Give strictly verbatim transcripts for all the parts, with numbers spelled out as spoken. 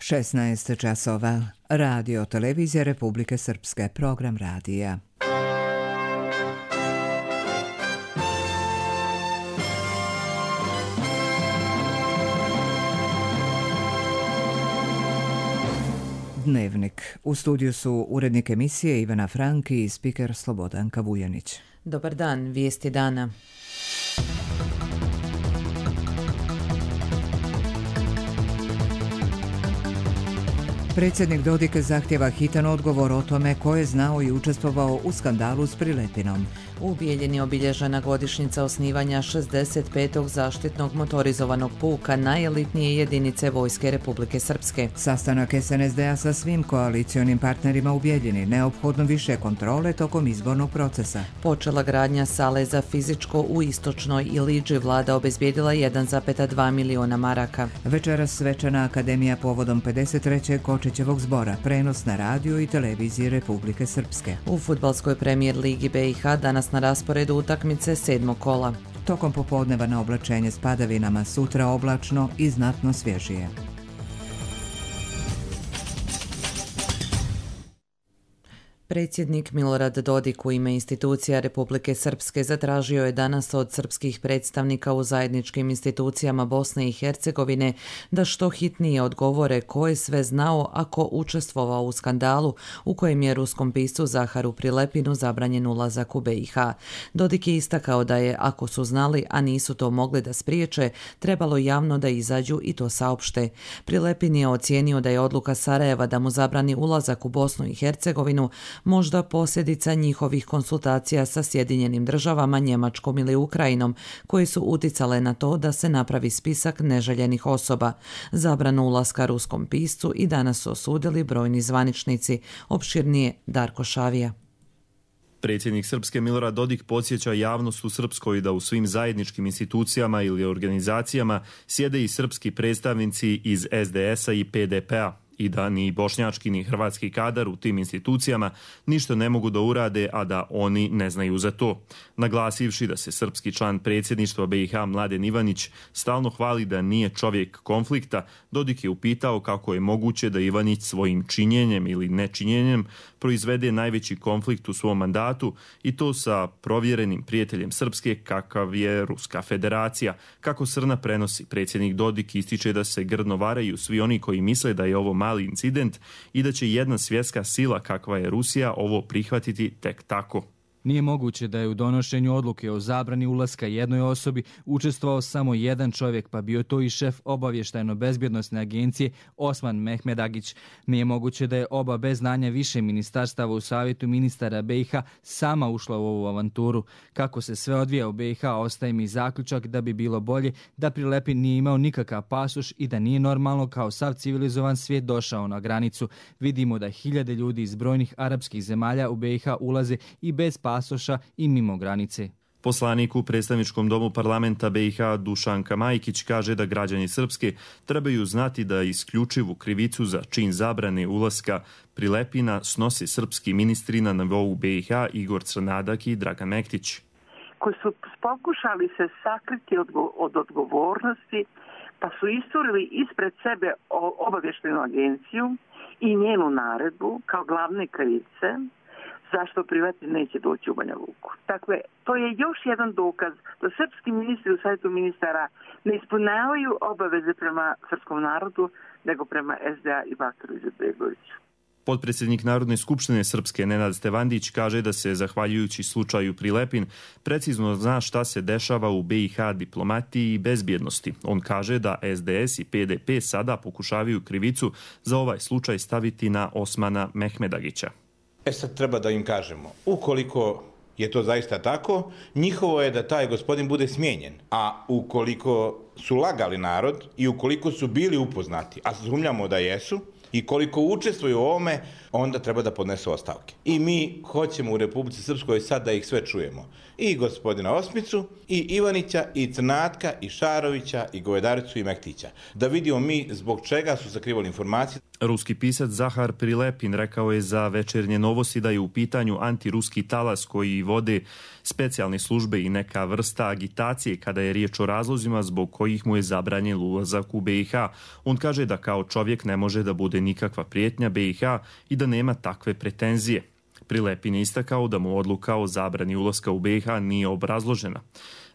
šesnaest časova. Radio Televizija Republike Srpske, program radija. Dnevnik. U studiju su urednik emisije Ivana Franki i spiker Slobodanka Vujanić. Dobar dan, vijesti dana. Predsjednik Dodik zahtjeva hitan odgovor o tome ko je znao i učestvovao u skandalu s Prilepinom. U Bijeljini obilježena godišnjica osnivanja šezdeset petog zaštitnog motorizovanog puka najelitnije jedinice Vojske Republike Srpske. Sastanak es en es de a sa svim koalicionim partnerima u Bijeljini, neophodno više kontrole tokom izbornog procesa. Počela gradnja sale za fizičko u Istočnoj Iliđi, vlada obezbijedila jedan zarez dva miliona maraka. Večeras svečana akademija povodom pedeset trećeg Kočićevog zbora, prenos na radiju i televiziji Republike Srpske. U fudbalskoj premijer ligi be i ha danas na rasporedu utakmice sedmog kola. Tokom popodneva na oblačenje s padavinama, sutra oblačno i znatno svježije. Predsjednik Milorad Dodik u ime institucija Republike Srpske zatražio je danas od srpskih predstavnika u zajedničkim institucijama Bosne i Hercegovine da što hitnije odgovore ko je sve znao ako učestvovao u skandalu u kojem je ruskom piscu Zaharu Prilepinu zabranjen ulazak u be i ha. Dodik je istakao da je, ako su znali, a nisu to mogli da spriječe, trebalo javno da izađu i to saopšte. Prilepin je ocijenio da je odluka Sarajeva da mu zabrani ulazak u Bosnu i Hercegovinu možda posljedica njihovih konsultacija sa Sjedinjenim državama, Njemačkom ili Ukrajinom, koje su uticale na to da se napravi spisak neželjenih osoba. Zabranu ulaska ruskom piscu i danas su osudili brojni zvaničnici. Opširnije Darko Šavija. Predsjednik Srpske Milorad Dodik podsjeća javnost u Srpskoj da u svim zajedničkim institucijama ili organizacijama sjede i srpski predstavnici iz es de es a i pe de pe a. I da ni bošnjački ni hrvatski kadar u tim institucijama ništa ne mogu da urade, a da oni ne znaju za to. Naglasivši da se srpski član predsjedništva be i ha Mladen Ivanić stalno hvali da nije čovjek konflikta, Dodik je upitao kako je moguće da Ivanić svojim činjenjem ili nečinjenjem proizvede najveći konflikt u svom mandatu i to sa provjerenim prijateljem Srpske kakav je Ruska federacija. Kako Srna prenosi, predsjednik Dodik ističe da se grdno varaju svi oni koji misle da je ovo mali incident i da će jedna svjetska sila kakva je Rusija ovo prihvatiti tek tako. Nije moguće da je u donošenju odluke o zabrani ulaska jednoj osobi učestvovao samo jedan čovjek, pa bio to i šef obavještajno-bezbjednosne agencije Osman Mehmedagić. Nije moguće da je oba bez znanja više ministarstava u savjetu ministara be i ha sama ušla u ovu avanturu. Kako se sve odvija u be i ha, ostaje mi zaključak da bi bilo bolje da Prilepin nije imao nikakav pasoš i da nije normalno kao sav civilizovan svijet došao na granicu. Vidimo da hiljade ljudi iz brojnih arapskih zemalja u be i ha ulaze i bez pasoša pasoša i mimo granice. Poslanik u predstavničkom domu parlamenta be i ha Dušanka Majkić kaže da građani Srpske trebaju znati da isključivu krivicu za čin zabrane ulaska Prilepina snosi srpski ministri na nivou be i ha Igor Crnadak i Dragan Mektić. Koji su pokušali se sakriti od, od odgovornosti, pa su isturili ispred sebe obavještajnu agenciju i njenu naredbu kao glavne krivice zašto Prilepin neće doći u Banja Luku. Dakle, to je još jedan dokaz da srpski ministri u savjetu ministara ne ispunjavaju obaveze prema srpskom narodu, nego prema es de a i Bakiru Izetbegoviću. Potpredsjednik Narodne skupštine Srpske Nenad Stevandić kaže da se, zahvaljujući slučaju Prilepin, precizno zna šta se dešava u be i ha diplomatiji i bezbjednosti. On kaže da es de es i pe de pe sada pokušavaju krivicu za ovaj slučaj staviti na Osmana Mehmedagića. E sad treba da im kažemo, ukoliko je to zaista tako, njihovo je da taj gospodin bude smijenjen. A ukoliko su lagali narod i ukoliko su bili upoznati, a sumnjamo da jesu, i koliko učestvuju u ovome, onda treba da podnesu ostavke. I mi hoćemo u Republici Srpskoj sad da ih sve čujemo. I gospodina Osmicu, i Ivanića, i Crnatka, i Šarovića, i Govedaricu, i Mektića. Da vidimo mi zbog čega su sakrivali informacije. Ruski pisac Zahar Prilepin rekao je za Večernje novosti da je u pitanju antiruski talas koji vode specijalne službe i neka vrsta agitacije kada je riječ o razlozima zbog kojih mu je zabranjen ulazak u B i H. On kaže da kao čovjek ne može da bude nikakva prijetnja B i H i da nema takve pretenzije. Prilepin je istakao da mu odluka o zabrani ulaska u B i H nije obrazložena.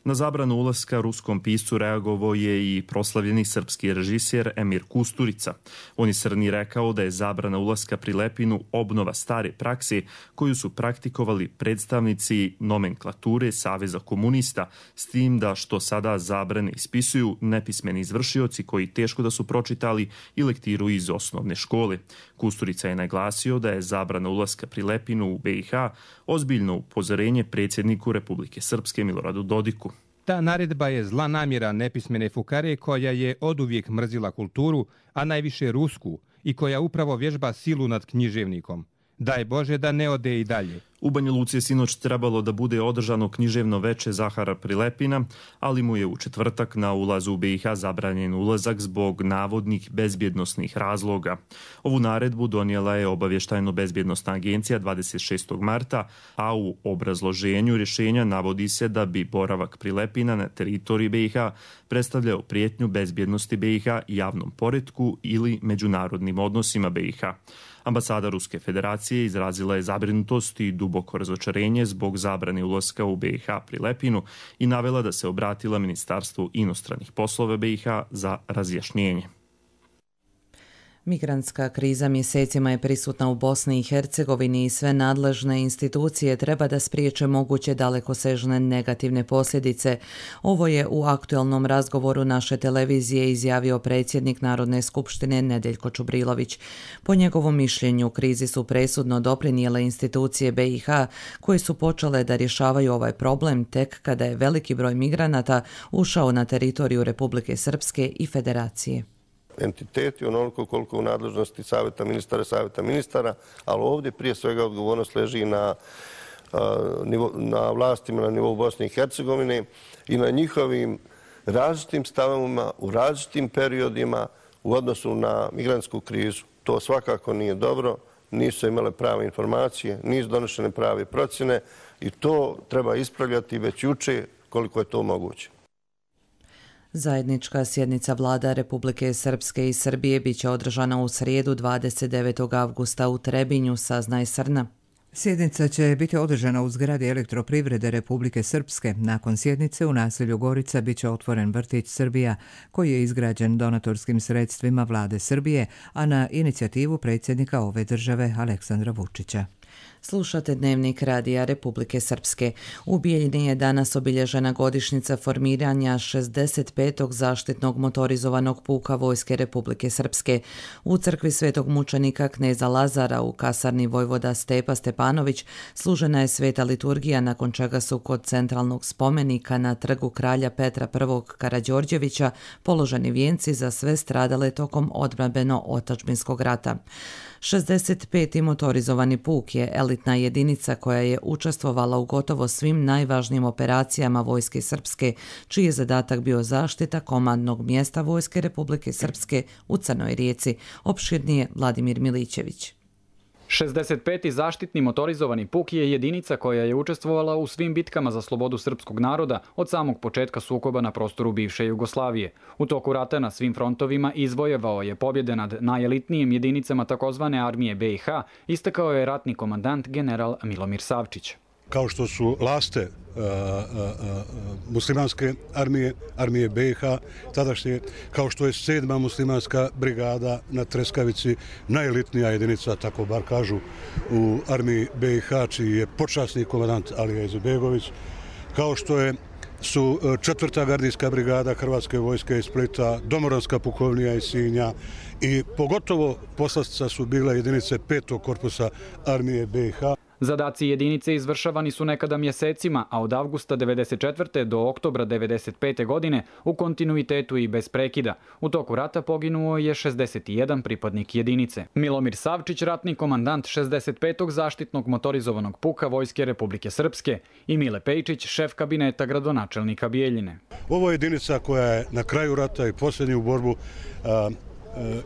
Na zabranu ulaska ruskom piscu reagovao je i proslavljeni srpski režiser Emir Kusturica. On je Srni rekao da je zabrana ulaska Prilepinu obnova stare prakse koju su praktikovali predstavnici nomenklature Saveza komunista, s tim da što sada zabrane ispisuju nepismeni izvršioci koji teško da su pročitali i lektiru iz osnovne škole. Kusturica je naglasio da je zabrana ulaska Prilepinu u B i H ozbiljno upozorenje predsjedniku Republike Srpske Miloradu Dodiku. Ta naredba je zla namjera nepismene fukare koja je oduvijek mrzila kulturu, a najviše rusku, i koja upravo vježba silu nad književnikom. Daj Bože da ne ode i dalje. U Banja Luci je sinoć trebalo da bude održano književno veče Zahara Prilepina, ali mu je u četvrtak na ulazu u B i H zabranjen ulazak zbog navodnih bezbjednosnih razloga. Ovu naredbu donijela je obavještajno-bezbjednostna agencija dvadeset šestog marta, a u obrazloženju rješenja navodi se da bi boravak Prilepina na teritoriji B i H predstavljao prijetnju bezbjednosti B i H, javnom poretku ili međunarodnim odnosima B i H. Ambasada Ruske federacije izrazila je zabrinutost i duboko razočarenje zbog zabrane ulaska u B i H Prilepinu i navela da se obratila Ministarstvu inostranih poslova B i H za razjašnjenje. Migrantska kriza mjesecima je prisutna u Bosni i Hercegovini i sve nadležne institucije treba da spriječe moguće dalekosežne negativne posljedice. Ovo je u aktualnom razgovoru naše televizije izjavio predsjednik Narodne skupštine Nedeljko Čubrilović. Po njegovom mišljenju krizi su presudno doprinijele institucije B i H koje su počele da rješavaju ovaj problem tek kada je veliki broj migranata ušao na teritoriju Republike Srpske i Federacije. Entiteti onoliko koliko u nadležnosti savjeta ministara, savjeta ministara, ali ovdje prije svega odgovornost leži na, na vlastima na nivou Bosne i Hercegovine i na njihovim različitim stavovima u različitim periodima u odnosu na migrantsku krizu. To svakako nije dobro, nisu imale prave informacije, nisu donošene prave procjene i to treba ispravljati već juče koliko je to moguće. Zajednička sjednica vlada Republike Srpske i Srbije biće održana u srijedu dvadeset devetog avgusta u Trebinju, saznaje Srna. Sjednica će biti održana u zgradi Elektroprivrede Republike Srpske. Nakon sjednice u naselju Gorica biće otvoren vrtić Srbija, koji je izgrađen donatorskim sredstvima vlade Srbije, a na inicijativu predsjednika ove države Aleksandra Vučića. Slušate Dnevnik radija Republike Srpske. U Bijeljini je danas obilježena godišnjica formiranja šezdeset petog zaštitnog motorizovanog puka Vojske Republike Srpske. U crkvi Svetog mučenika kneza Lazara u kasarni vojvoda Stepa Stepanović služena je sveta liturgija, nakon čega su kod centralnog spomenika na trgu kralja Petra I. Karađorđevića položeni vijenci za sve stradale tokom odbrambeno-otadžbinskog rata. šezdeset peti motorizovani puk je elitna jedinica koja je učestvovala u gotovo svim najvažnijim operacijama Vojske Srpske, čiji je zadatak bio zaštita komandnog mjesta Vojske Republike Srpske u Crnoj Rijeci. Opširnije Vladimir Milićević. šezdeset peti zaštitni motorizovani puk je jedinica koja je učestvovala u svim bitkama za slobodu srpskog naroda od samog početka sukoba na prostoru bivše Jugoslavije. U toku rata na svim frontovima izvojevao je pobjede nad najelitnijim jedinicama takozvane armije B i H, istakao je ratni komandant general Milomir Savčić. Kao što su Laste uh, uh, uh, muslimanske armije, armije B i H, tadašnje, kao što je sedma muslimanska brigada na Treskavici, najelitnija jedinica, tako bar kažu, u armiji B i H, čiji je počasni komandant Alija Izetbegović, kao što je su četvrta gardijska brigada Hrvatske vojske iz Splita, Domoranska pukovnija iz Sinja i pogotovo poslastica su bile jedinice petog korpusa armije B i H. Zadaci jedinice izvršavani su nekada mjesecima, a od avgusta devedeset četvrte do oktobra devedeset pete godine u kontinuitetu i bez prekida. U toku rata poginuo je šezdeset jedan pripadnik jedinice. Milomir Savčić, ratni komandant šezdeset petog zaštitnog motorizovanog puka Vojske Republike Srpske i Mile Pejčić, šef kabineta gradonačelnika Bijeljine. Ovo je jedinica koja je na kraju rata i posljednju borbu a,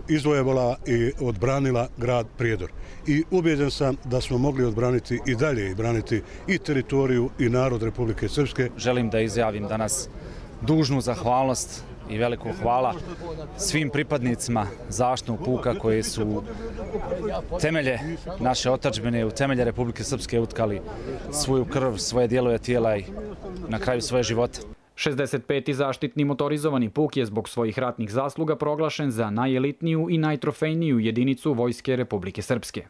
izvojevala i odbranila grad Prijedor. I ubijeđen sam da smo mogli odbraniti i dalje i braniti i teritoriju i narod Republike Srpske. Želim da izjavim danas dužnu zahvalnost i veliko hvala svim pripadnicima zaštitnog puka koji su temelje naše otadžbine, u temelje Republike Srpske utkali svoju krv, svoje dijelove tijela i na kraju svoje živote. šezdeset peti zaštitni motorizovani puk je zbog svojih ratnih zasluga proglašen za najelitniju i najtrofejniju jedinicu Vojske Republike Srpske.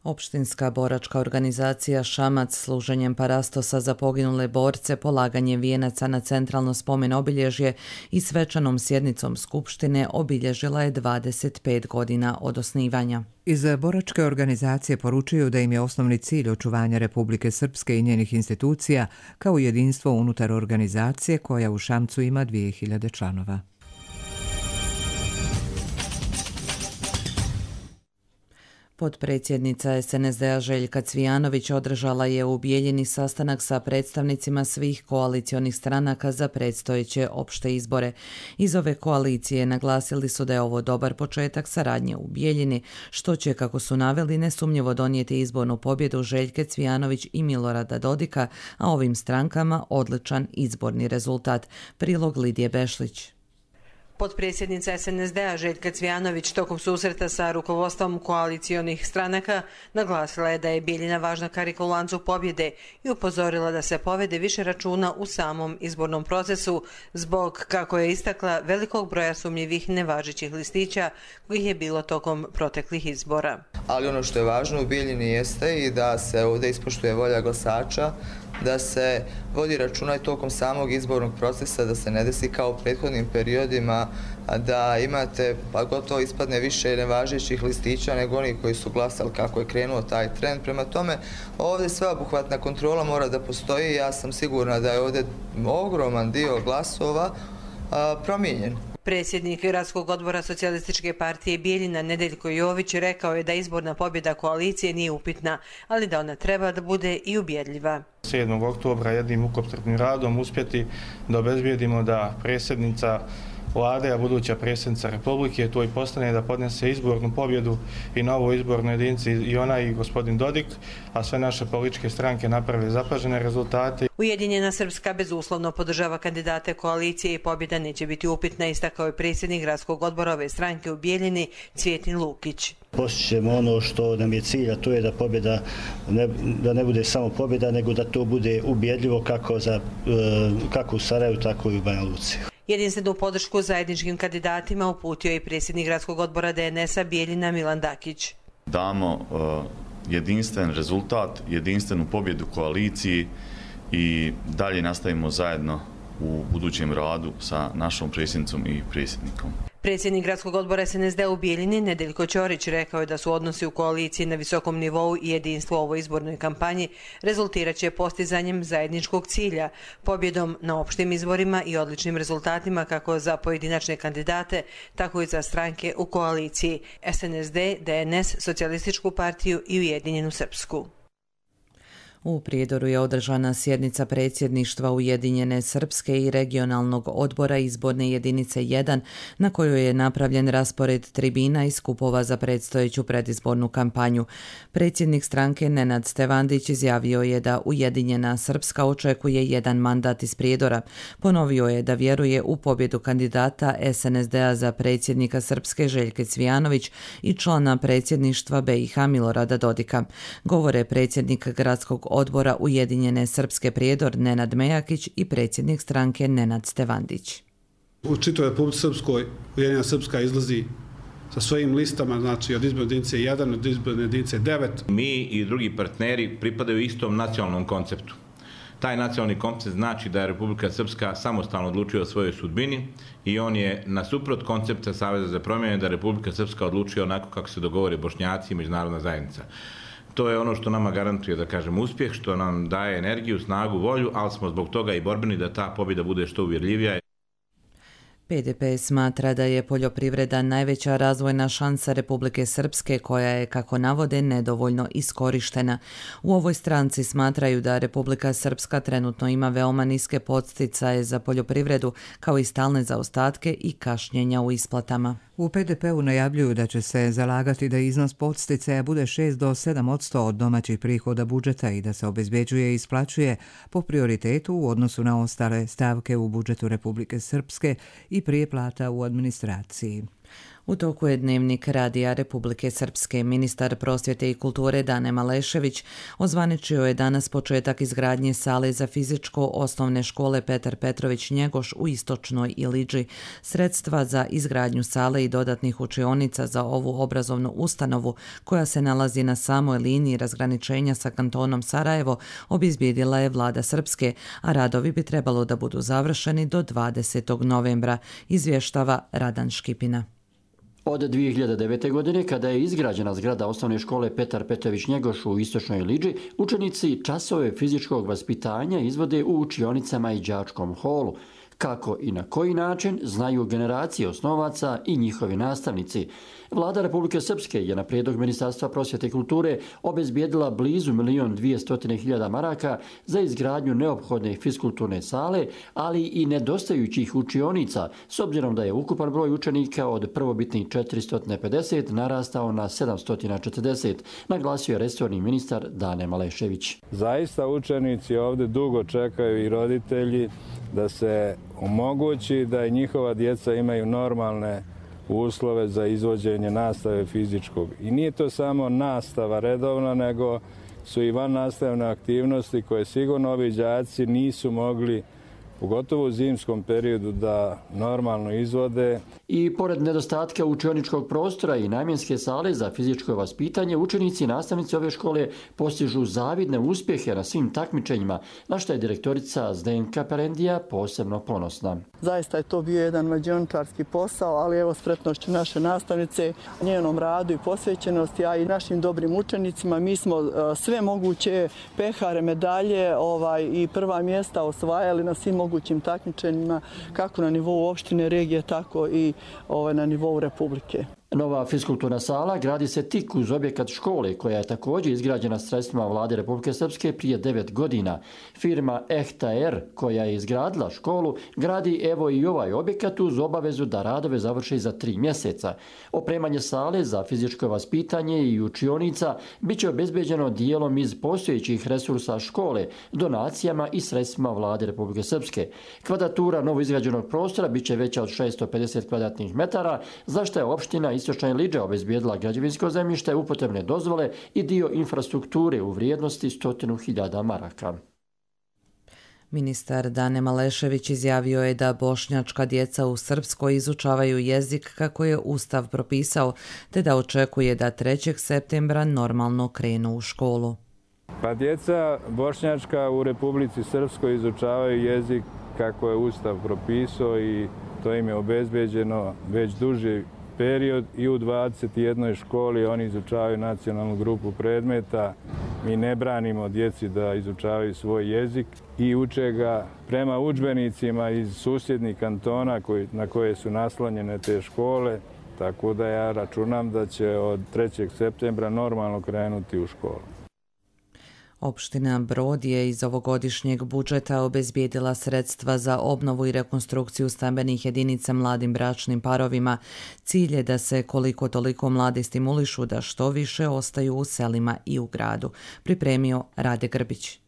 Opštinska boračka organizacija Šamac služenjem parastosa za poginule borce, polaganjem vijenaca na centralno spomen obilježje i svečanom sjednicom Skupštine obilježila je dvadeset pet godina od osnivanja. Iz boračke organizacije poručuju da im je osnovni cilj očuvanja Republike Srpske i njenih institucija kao jedinstvo unutar organizacije koja u Šamcu ima dvije hiljade članova. Potpredsjednica es en es de a Željka Cvijanović održala je u Bijeljini sastanak sa predstavnicima svih koalicionih stranaka za predstojeće opšte izbore. Iz ove koalicije naglasili su da je ovo dobar početak saradnje u Bijeljini, što će, kako su naveli, nesumnjivo donijeti izbornu pobjedu Željke Cvijanović i Milorada Dodika, a ovim strankama odličan izborni rezultat. Prilog Lidije Bešlić. Potpredsjednica es en es de a Željka Cvijanović tokom susreta sa rukovodstvom koalicionih stranaka naglasila je da je Bijeljina važna karika u lancu pobjede i upozorila da se povede više računa u samom izbornom procesu zbog, kako je istakla, velikog broja sumnjivih nevažećih listića kojih je bilo tokom proteklih izbora. Ali ono što je važno u Bijeljini jeste i da se ovdje ispoštuje volja glasača, da se vodi računa i tokom samog izbornog procesa, da se ne desi kao u prethodnim periodima da imate, pa gotovo ispadne više nevažećih listića nego oni koji su glasali kako je krenuo taj trend. Prema tome, ovdje sveobuhvatna kontrola mora da postoji. Ja sam sigurna da je ovdje ogroman dio glasova a, promijenjen. Predsjednik Gradskog odbora Socijalističke partije Bijeljina Nedeljko Jović rekao je da izborna pobjeda koalicije nije upitna, ali da ona treba da bude i ubjedljiva. sedmog oktobra jednim mukotrpnim radom uspjeti da obezbijedimo da predsjednica vlade, a buduća predsjednica Republike, to i postane da podnese izbornu pobjedu i na ovoj izbornoj jedinici i ona i gospodin Dodik, a sve naše političke stranke naprave zapažene rezultate. Ujedinjena Srpska bezuslovno podržava kandidate koalicije i pobjeda neće biti upitna, istakao je predsjednik Gradskog odbora ove stranke u Bijeljini Cvjetin Lukić. Postićemo ono što nam je cilj, a to je da pobjeda ne, da ne bude samo pobjeda, nego da to bude ubjedljivo kako, za, kako u Sarajevu, tako i u Banja Luci. Jedinstvenu podršku zajedničkim kandidatima uputio i predsjednik Gradskog odbora de en es a Bijeljina Milan Dakić. Damo uh, jedinstven rezultat, jedinstvenu pobjedu koaliciji i dalje nastavimo zajedno u budućem radu sa našom predsjednicom i predsjednikom. Predsjednik Gradskog odbora es en es de a u Bijeljini Nedeljko Ćorić rekao je da su odnosi u koaliciji na visokom nivou i jedinstvo u ovoj izbornoj kampanji rezultirat će postizanjem zajedničkog cilja, pobjedom na opštim izborima i odličnim rezultatima kako za pojedinačne kandidate, tako i za stranke u koaliciji es en es de, de en es, Socijalističku partiju i Ujedinjenu Srpsku. U Prijedoru je održana sjednica predsjedništva Ujedinjene Srpske i regionalnog odbora izborne jedinice jedan, na kojoj je napravljen raspored tribina i skupova za predstojeću predizbornu kampanju. Predsjednik stranke Nenad Stevandić izjavio je da Ujedinjena Srpska očekuje jedan mandat iz Prijedora. Ponovio je da vjeruje u pobjedu kandidata es en es de a za predsjednika Srpske Željke Cvijanović i člana predsjedništva be i ha Milorada Dodika. Govore predsjednik Gradskog odbora Ujedinjene Srpske Prijedor Nenad Mejakić i predsjednik stranke Nenad Stevandić. U čitavoj Republici Srpskoj Ujedinjena Srpska izlazi sa svojim listama, znači od izborne jedinice jedan, od izborne jedinice devet. Mi i drugi partneri pripadaju istom nacionalnom konceptu. Taj nacionalni koncept znači da je Republika Srpska samostalno odlučuje o svojoj sudbini i on je nasuprot koncepta Saveza za promjene da Republika Srpska odlučuje onako kako se dogovore Bošnjaci i međunarodna zajednica. To je ono što nama garantuje, da kažem, uspjeh, što nam daje energiju, snagu, volju, ali smo zbog toga i borbeni da ta pobjeda bude što uvjerljivija. pe de pe smatra da je poljoprivreda najveća razvojna šansa Republike Srpske koja je, kako navode, nedovoljno iskorištena. U ovoj stranci smatraju da Republika Srpska trenutno ima veoma niske podsticaje za poljoprivredu, kao i stalne zaostatke i kašnjenja u isplatama. U P D P-u najavljuju da će se zalagati da iznos podsticaja bude šest do sedam posto od domaćih prihoda budžeta i da se obezbeđuje i isplaćuje po prioritetu u odnosu na ostale stavke u budžetu Republike Srpske i prije plata u administraciji. U toku je Dnevnik Radija Republike Srpske. Ministar prosvjete i kulture Dane Malešević ozvaničio je danas početak izgradnje sale za fizičko osnovne škole Petar Petrović Njegoš u Istočnoj Ilidži. Sredstva za izgradnju sale i dodatnih učionica za ovu obrazovnu ustanovu, koja se nalazi na samoj liniji razgraničenja sa kantonom Sarajevo, obezbijedila je vlada Srpske, a radovi bi trebalo da budu završeni do dvadesetog novembra, izvještava Radan Škipina. Od dvije hiljade devete. godine, kada je izgrađena zgrada osnovne škole Petar Petrović Njegoš u Istočnoj Ilidži, učenici časove fizičkog vaspitanja izvode u učionicama i đačkom holu. Kako i na koji način znaju generacije osnovaca i njihovi nastavnici. Vlada Republike Srpske je na prijedlog Ministarstva prosvjete i kulture obezbijedila blizu milion dvijestotine hiljada maraka za izgradnju neophodne fiskulturne sale, ali i nedostajućih učionica, s obzirom da je ukupan broj učenika od prvobitnih četiristo pedeset narastao na sedamsto četrdeset, naglasio je resorni ministar Dane Malešević. Zaista učenici ovdje dugo čekaju i roditelji da se omogući da i njihova djeca imaju normalne uslove za izvođenje nastave fizičkog. I nije to samo nastava redovna, nego su i van nastavne aktivnosti koje sigurno ovi đaci nisu mogli, pogotovo u zimskom periodu, da normalno izvode. I pored nedostatka učioničkog prostora i namjenske sale za fizičko vaspitanje, učenici i nastavnici ove škole postižu zavidne uspjehe na svim takmičenjima, na što je direktorica Zdenka Perendija posebno ponosna. Zaista je to bio jedan mađioničarski posao, ali evo spretnošću naše nastavnice, njenom radu i posvećenosti, a i našim dobrim učenicima, mi smo sve moguće pehare, medalje ovaj, i prva mjesta osvajali na svim mogućim takmičenjima, kako na nivou opštine, regije, tako i ovaj, na nivou Republike. Nova fiskulturna sala gradi se tik uz objekat škole, koja je također izgrađena sredstvima vlade Republike Srpske prije devet godina. Firma Ehtaer, koja je izgradila školu, gradi evo i ovaj objekat uz obavezu da radove završi za tri mjeseca. Opremanje sale za fizičko vaspitanje i učionica bit će obezbeđeno dijelom iz postojećih resursa škole, donacijama i sredstvima vlade Republike Srpske. Kvadratura novoizgrađenog prostora bit će veća od šesto pedeset kvadratnih metara, za što je opština Istočna Ilidža obezbijedila građevinsko zemljište, upotrebne dozvole i dio infrastrukture u vrijednosti stotinu hiljada maraka. Ministar Dane Malešević izjavio je da bošnjačka djeca u Srpskoj izučavaju jezik kako je Ustav propisao, te da očekuje da trećeg septembra normalno krenu u školu. Pa djeca bošnjačka u Republici Srpskoj izučavaju jezik kako je Ustav propisao i to im je obezbeđeno već duži period i u dvadeset jednoj školi oni izučavaju nacionalnu grupu predmeta. Mi ne branimo djeci da izučavaju svoj jezik i uče ga prema udžbenicima iz susjednih kantona koji, na koje su naslonjene te škole, tako da ja računam da će od trećeg septembra normalno krenuti u školu. Opština Brod je iz ovogodišnjeg budžeta obezbijedila sredstva za obnovu i rekonstrukciju stambenih jedinica mladim bračnim parovima. Cilj je da se koliko toliko mladi stimulišu da što više ostaju u selima i u gradu, pripremio Rade Grbić.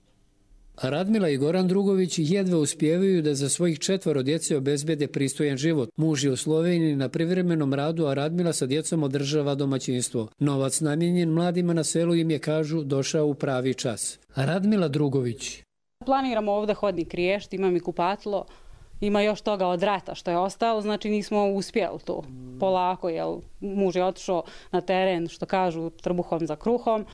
Radmila i Goran Drugović jedva uspijevaju da za svojih četvoro djece obezbede pristojan život. Muž je u Sloveniji na privremenom radu, a Radmila sa djecom održava domaćinstvo. Novac namijenjen mladima na selu im je, kažu, došao u pravi čas. Radmila Drugović. Planiramo ovdje hodnik riješiti, imam i kupatilo, ima još toga od rata što je ostalo, znači nismo uspjeli to polako, jer muž je otišao na teren, što kažu, trbuhom za kruhom.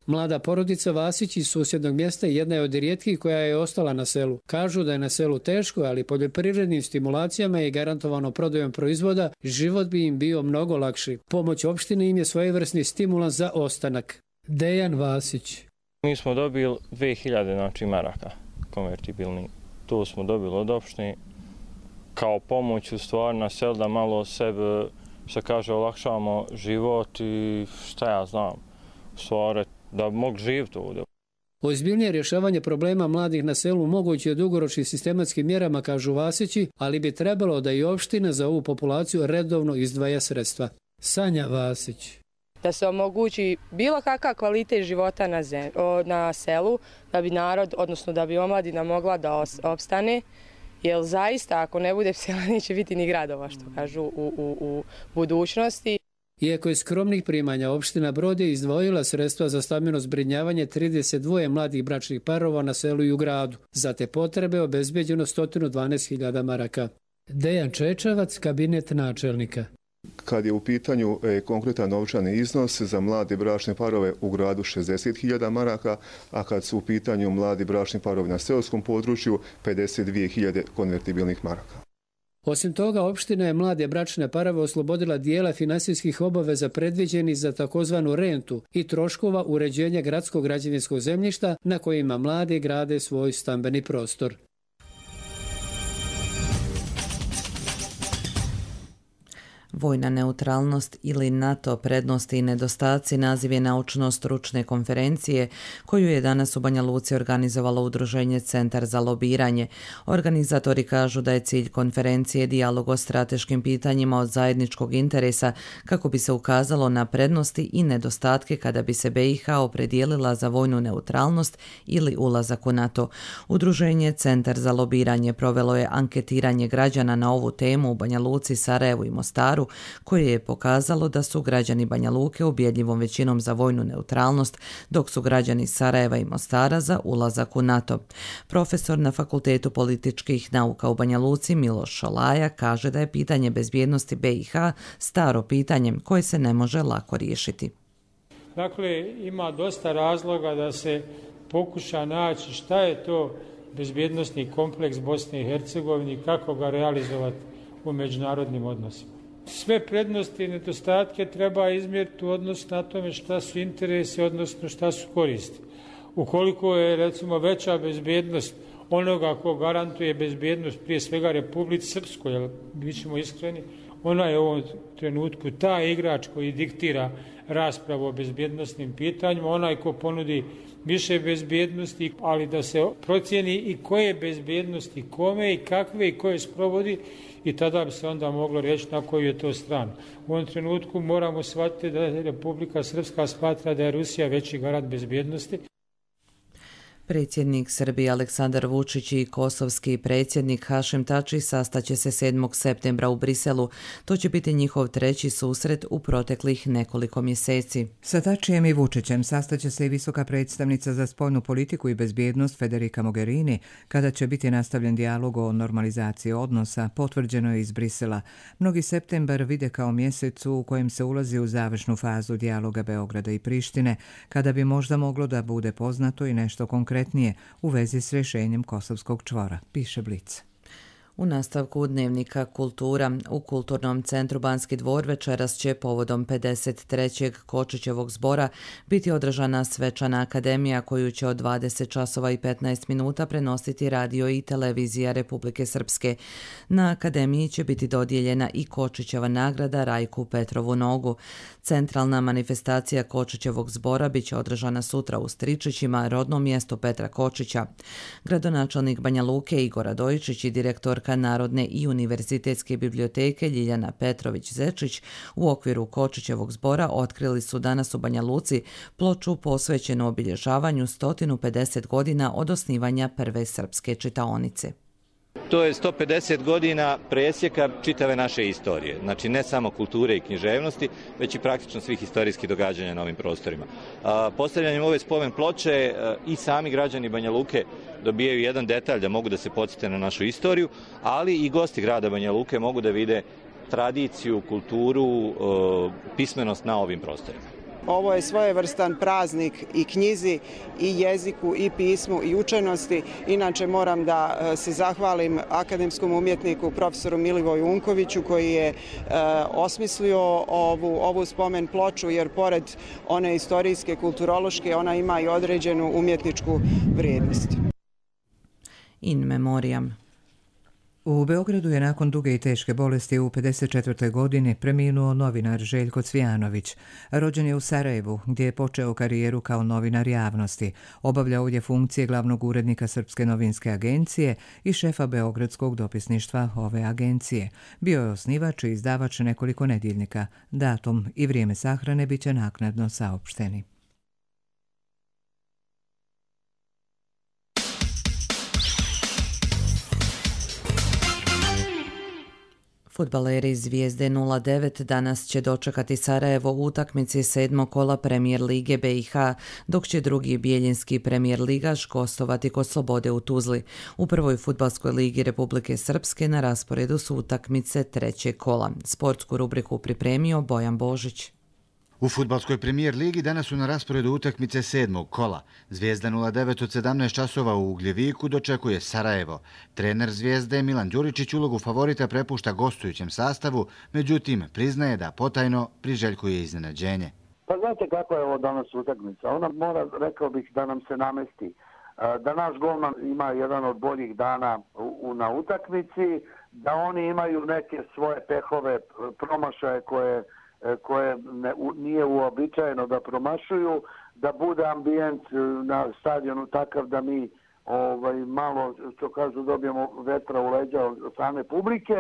Mlada porodica Vasić iz susjednog mjesta jedna je od rijetkih koja je ostala na selu. Kažu da je na selu teško, ali poljoprivrednim stimulacijama i garantovano prodajom proizvoda život bi im bio mnogo lakši. Pomoć opštine im je svojevrsni stimulans za ostanak. Dejan Vasić. Mi smo dobili dvije hiljade znači, maraka konvertibilni. To smo dobili od opštine kao pomoć u stvari na selu da malo sebe, što kaže, olakšavamo život i šta ja znam, u stvari da mogu živjeti ovdje. Ozbiljnije rješavanje problema mladih na selu moguće je dugoročnim sistematskim mjerama, kažu Vasići, ali bi trebalo da i opština za ovu populaciju redovno izdvaja sredstva. Sanja Vasić. Da se omogući bilo kakav kvalitet života na, zem, na selu, da bi narod, odnosno da bi omladina mogla da opstane, jer zaista ako ne bude sela neće biti ni gradova, što kažu u, u, u budućnosti. Iako je skromnih primanja, opština Brod je izdvojila sredstva za stambeno zbrinjavanje trideset dva mladih bračnih parova na selu i u gradu. Za te potrebe obezbeđeno sto dvanaest hiljada maraka. Dejan Čečevac, kabinet načelnika. Kad je u pitanju e, konkretan novčani iznos za mlade bračne parove u gradu šezdeset hiljada maraka, a kad su u pitanju mladi bračni parovi na seoskom području pedeset dvije hiljade konvertibilnih maraka. Osim toga, opština je mlade bračne parove oslobodila dijela finansijskih obaveza predviđenih za takozvanu rentu i troškova uređenja gradskog građevinskog zemljišta na kojima mladi grade svoj stambeni prostor. Vojna neutralnost ili NATO prednosti i nedostaci naziv je naučno-stručne konferencije koju je danas u Banja Luci organizovalo udruženje Centar za lobiranje. Organizatori kažu da je cilj konferencije dijalog o strateškim pitanjima od zajedničkog interesa kako bi se ukazalo na prednosti i nedostatke kada bi se B i H opredijelila za vojnu neutralnost ili ulazak u NATO. Udruženje Centar za lobiranje provelo je anketiranje građana na ovu temu u Banja Luci, Sarajevu i Mostaru, koje je pokazalo da su građani Banja Luke ubjedljivom većinom za vojnu neutralnost, dok su građani Sarajeva i Mostara za ulazak u NATO. Profesor na Fakultetu političkih nauka u Banja Luci Miloš Šolaja kaže da je pitanje bezbjednosti B i H staro pitanje koje se ne može lako riješiti. Dakle, ima dosta razloga da se pokuša naći šta je to bezbjednosni kompleks Bosne i Hercegovine i kako ga realizovati u međunarodnim odnosima. Sve prednosti i nedostatke treba izmjeriti u odnosu na tome šta su interesi, odnosno šta su koristi. Ukoliko je, recimo, veća bezbjednost onoga ko garantuje bezbjednost prije svega Republici Srpskoj, jer bit ćemo iskreni, ona je u ovom trenutku taj igrač koji diktira raspravu o bezbjednostnim pitanjima, onaj ko ponudi više bezbjednosti, ali da se procijeni i koje bezbjednosti, kome i kakve i koje sprovodi, i tada bi se onda moglo reći na koju je to stranu. U ovom trenutku moramo shvatiti da Republika Srpska smatra da je Rusija veći garant bezbjednosti. Predsjednik Srbije Aleksandar Vučić i kosovski predsjednik Hašim Tači sastaće se sedmog septembra u Briselu. To će biti njihov treći susret u proteklih nekoliko mjeseci. Sa Tačijem i Vučićem sastaće se i visoka predstavnica za spoljnu politiku i bezbjednost Federica Mogherini, kada će biti nastavljen dijalog o normalizaciji odnosa, potvrđeno je iz Brisela. Mnogi septembar vide kao mjesec u kojem se ulazi u završnu fazu dijaloga Beograda i Prištine, kada bi možda moglo da bude poznato i nešto konkretno konkretnije u vezi s rješenjem kosovskog čvora, piše Blic. U nastavku dnevnika Kultura u Kulturnom centru Banski dvor večeras će povodom pedeset trećeg Kočićevog zbora biti održana svečana akademija koju će od dvadeset časova i petnaest minuta prenositi radio i televizija Republike Srpske. Na akademiji će biti dodijeljena i Kočićeva nagrada Rajku Petrovu Nogu. Centralna manifestacija Kočićevog zbora biće održana sutra u Stričićima, rodnom mjestu Petra Kočića. Gradonačelnik Banja Luke Igor Radojičić i direktor Narodne i univerzitetske biblioteke Ljiljana Petrović-Zečić u okviru Kočićevog zbora otkrili su danas u Banja Luci ploču posvećenu obilježavanju sto pedeset godina od osnivanja prve srpske čitaonice. To je sto pedeset godina presjeka čitave naše istorije, znači ne samo kulture i književnosti, već i praktično svih historijskih događanja na ovim prostorima. Postavljanjem ove spomen ploče i sami građani Banja Luke dobijaju jedan detalj da mogu da se podsjete na našu istoriju, ali i gosti grada Banja Luke mogu da vide tradiciju, kulturu, pismenost na ovim prostorima. Ovo je svojevrstan praznik i knjizi, i jeziku, i pismu, i učenosti. Inače moram da se zahvalim akademskom umjetniku profesoru Milivoju Unkoviću koji je e, osmislio ovu, ovu spomen ploču, jer pored one istorijske, kulturološke, ona ima i određenu umjetničku vrijednost. In memoriam. U Beogradu je nakon duge i teške bolesti u pedeset četvrtoj godini preminuo novinar Željko Cvijanović. Rođen je u Sarajevu, gdje je počeo karijeru kao novinar javnosti. Obavljao je funkcije glavnog urednika Srpske novinske agencije i šefa beogradskog dopisništva ove agencije. Bio je osnivač i izdavač nekoliko nedjeljnika. Datum i vrijeme sahrane bit će naknadno saopšteni. Fudbaleri Zvijezde nula devet danas će dočekati Sarajevo u utakmici sedmog kola Premijer lige B i H, dok će drugi bijeljinski premijer ligaš gostovati kod Slobode u Tuzli. U prvoj fudbalskoj ligi Republike Srpske na rasporedu su utakmice trećeg kola. Sportsku rubriku pripremio Bojan Božić. U fudbalskoj premijer ligi danas su na rasporedu utakmice sedmog kola. Zvijezda nula devet od sedamnaest časova u Ugljeviku dočekuje Sarajevo. Trener Zvijezde Milan Đuričić ulogu favorita prepušta gostujućem sastavu, međutim priznaje da potajno priželjkuje iznenađenje. Pa znate kako je ovo danas utakmica? Ona mora, rekao bih, da nam se namesti. Da naš golman ima jedan od boljih dana u, na utakmici, da oni imaju neke svoje pehove, promašaje koje koje ne, u, nije uobičajeno da promašuju, da bude ambijent na stadionu takav da mi ovaj, malo, što kažu, dobijemo vetra u leđa od same publike,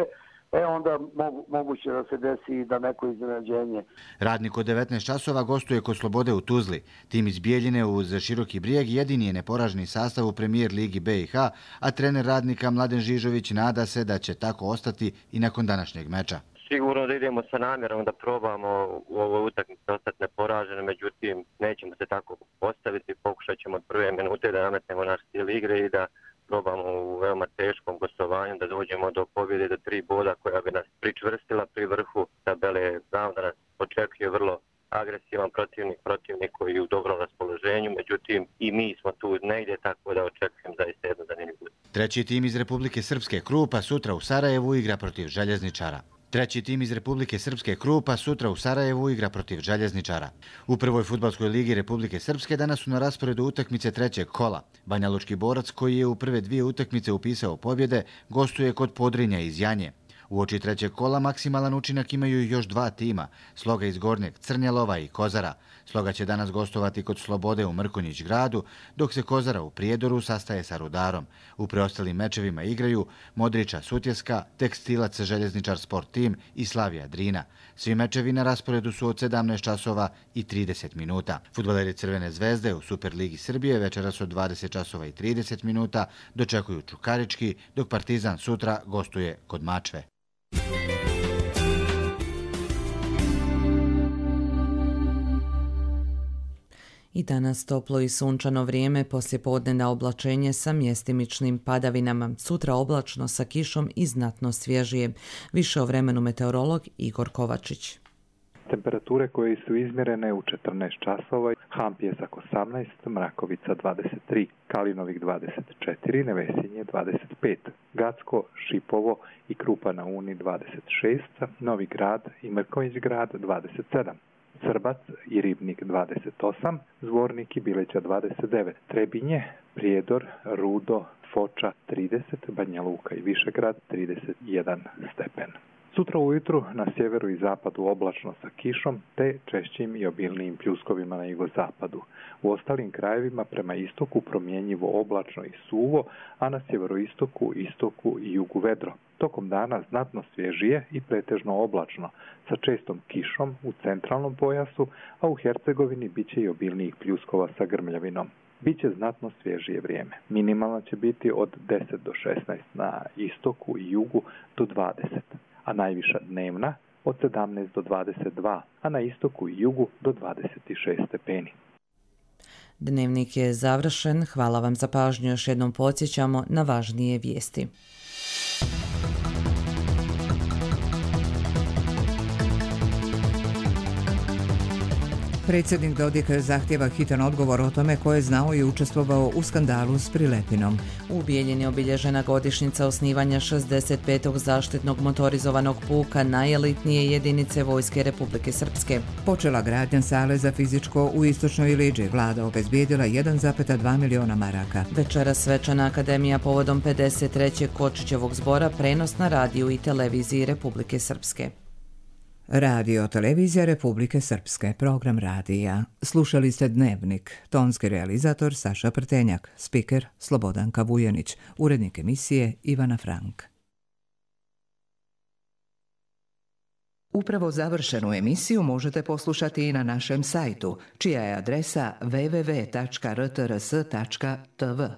e onda mogu, moguće da se desi i da neko iznenađenje. Radnik od devetnaest časova gostuje kod Slobode u Tuzli. Tim iz Bijeljine uz Široki Brijeg jedini je neporaženi sastav u premijer ligi B i H, a trener Radnika Mladen Žižović nada se da će tako ostati i nakon današnjeg meča. Sigurno da idemo sa namjerom da probamo u ovoj utakmici ostati neporaženi, međutim nećemo se tako postaviti, pokušat ćemo od prve minute da nametnemo naš stil igre i da probamo u veoma teškom gostovanju da dođemo do pobjede, do tri boda koja bi nas pričvrstila pri vrhu tabele. Znam da nas očekuje vrlo agresivan protivnik, protivnik koji je u dobrom raspoloženju, međutim i mi smo tu negdje, tako da očekujem zaista jedno zanimljivo. Treći tim iz Republike Srpske Krupa sutra u Sarajevu igra protiv Željezničara. Treći tim iz Republike Srpske Krupa sutra u Sarajevu igra protiv Željezničara. U prvoj fudbalskoj ligi Republike Srpske danas su na rasporedu utakmice trećeg kola. Banja Lučki Borac, koji je u prve dvije utakmice upisao pobjede, gostuje kod Podrinja iz Janje. Uoči trećeg kola maksimalan učinak imaju još dva tima, Sloga iz Gornjeg Crnjelova i Kozara. Sloga će danas gostovati kod Slobode u Mrkonjić gradu, dok se Kozara u Prijedoru sastaje sa Rudarom. U preostalim mečevima igraju Modriča Sutjeska, Tekstilac Željezničar Sport Tim i Slavija Drina. Svi mečevi na rasporedu su od sedamnaest časova i trideset minuta. Fudbaleri Crvene zvezde u Superligi Srbije večeras od dvadeset časova i trideset minuta dočekuju Čukarički, dok Partizan sutra gostuje kod Mačve. I danas toplo i sunčano vrijeme, poslijepodne na oblačenje sa mjestimičnim padavinama. Sutra oblačno sa kišom i znatno svježije. Više o vremenu meteorolog Igor Kovačić. Temperature koje su izmjerene u četrnaest časova, Ham Pjesak osamnaest, Mrakovica dvadeset tri, Kalinovik dvadeset četiri, Nevesinje dvadeset pet, Gacko, Šipovo i Krupa na Uni dvadeset šest, Novi Grad i Mrkonjić grad dvadeset sedam. Srbac i Ribnik dvadeset osam, Zvornik i Bileća dvadeset devet, Trebinje, Prijedor, Rudo, Foča trideset, Banja Luka i Višegrad trideset jedan stepen. Sutra ujutru na sjeveru i zapadu oblačno sa kišom te češćim i obilnijim pljuskovima na jugozapadu. U ostalim krajevima prema istoku promjenjivo oblačno i suvo, a na sjeveroistoku, istoku i jugu vedro. Tokom dana znatno svježije i pretežno oblačno, sa čestom kišom u centralnom pojasu, a u Hercegovini biće i obilnijih pljuskova sa grmljavinom. Biće znatno svježije vrijeme. Minimalna će biti od deset do šesnaest na istoku i jugu do dvadeset, a najviša dnevna od sedamnaest do dvadeset dva, a na istoku i jugu do dvadeset šest stepeni. Dnevnik je završen. Hvala vam za pažnju. Još jednom podsjećamo na važnije vijesti. Predsjednik Dodik zahtjeva hitan odgovor o tome ko je znao i učestvovao u skandalu s Prilepinom. U Bijeljini obilježena godišnjica osnivanja šezdeset petog zaštitnog motorizovanog puka najelitnije jedinice Vojske Republike Srpske. Počela gradnja sale za fizičko u Istočnoj Iliđi. Vlada obezbijedila jedan zarez dva miliona maraka. Večera svečana akademija povodom pedeset trećeg Kočićevog zbora, prenos na radiju i televiziji Republike Srpske. Radio televizija Republike Srpske, program radija. Slušali ste Dnevnik, tonski realizator Saša Prtenjak, spiker Slobodanka Vujanić, urednik emisije Ivana Frank. Upravo završenu emisiju možete poslušati i na našem sajtu, čija je adresa w w w tačka r t r s tačka t v.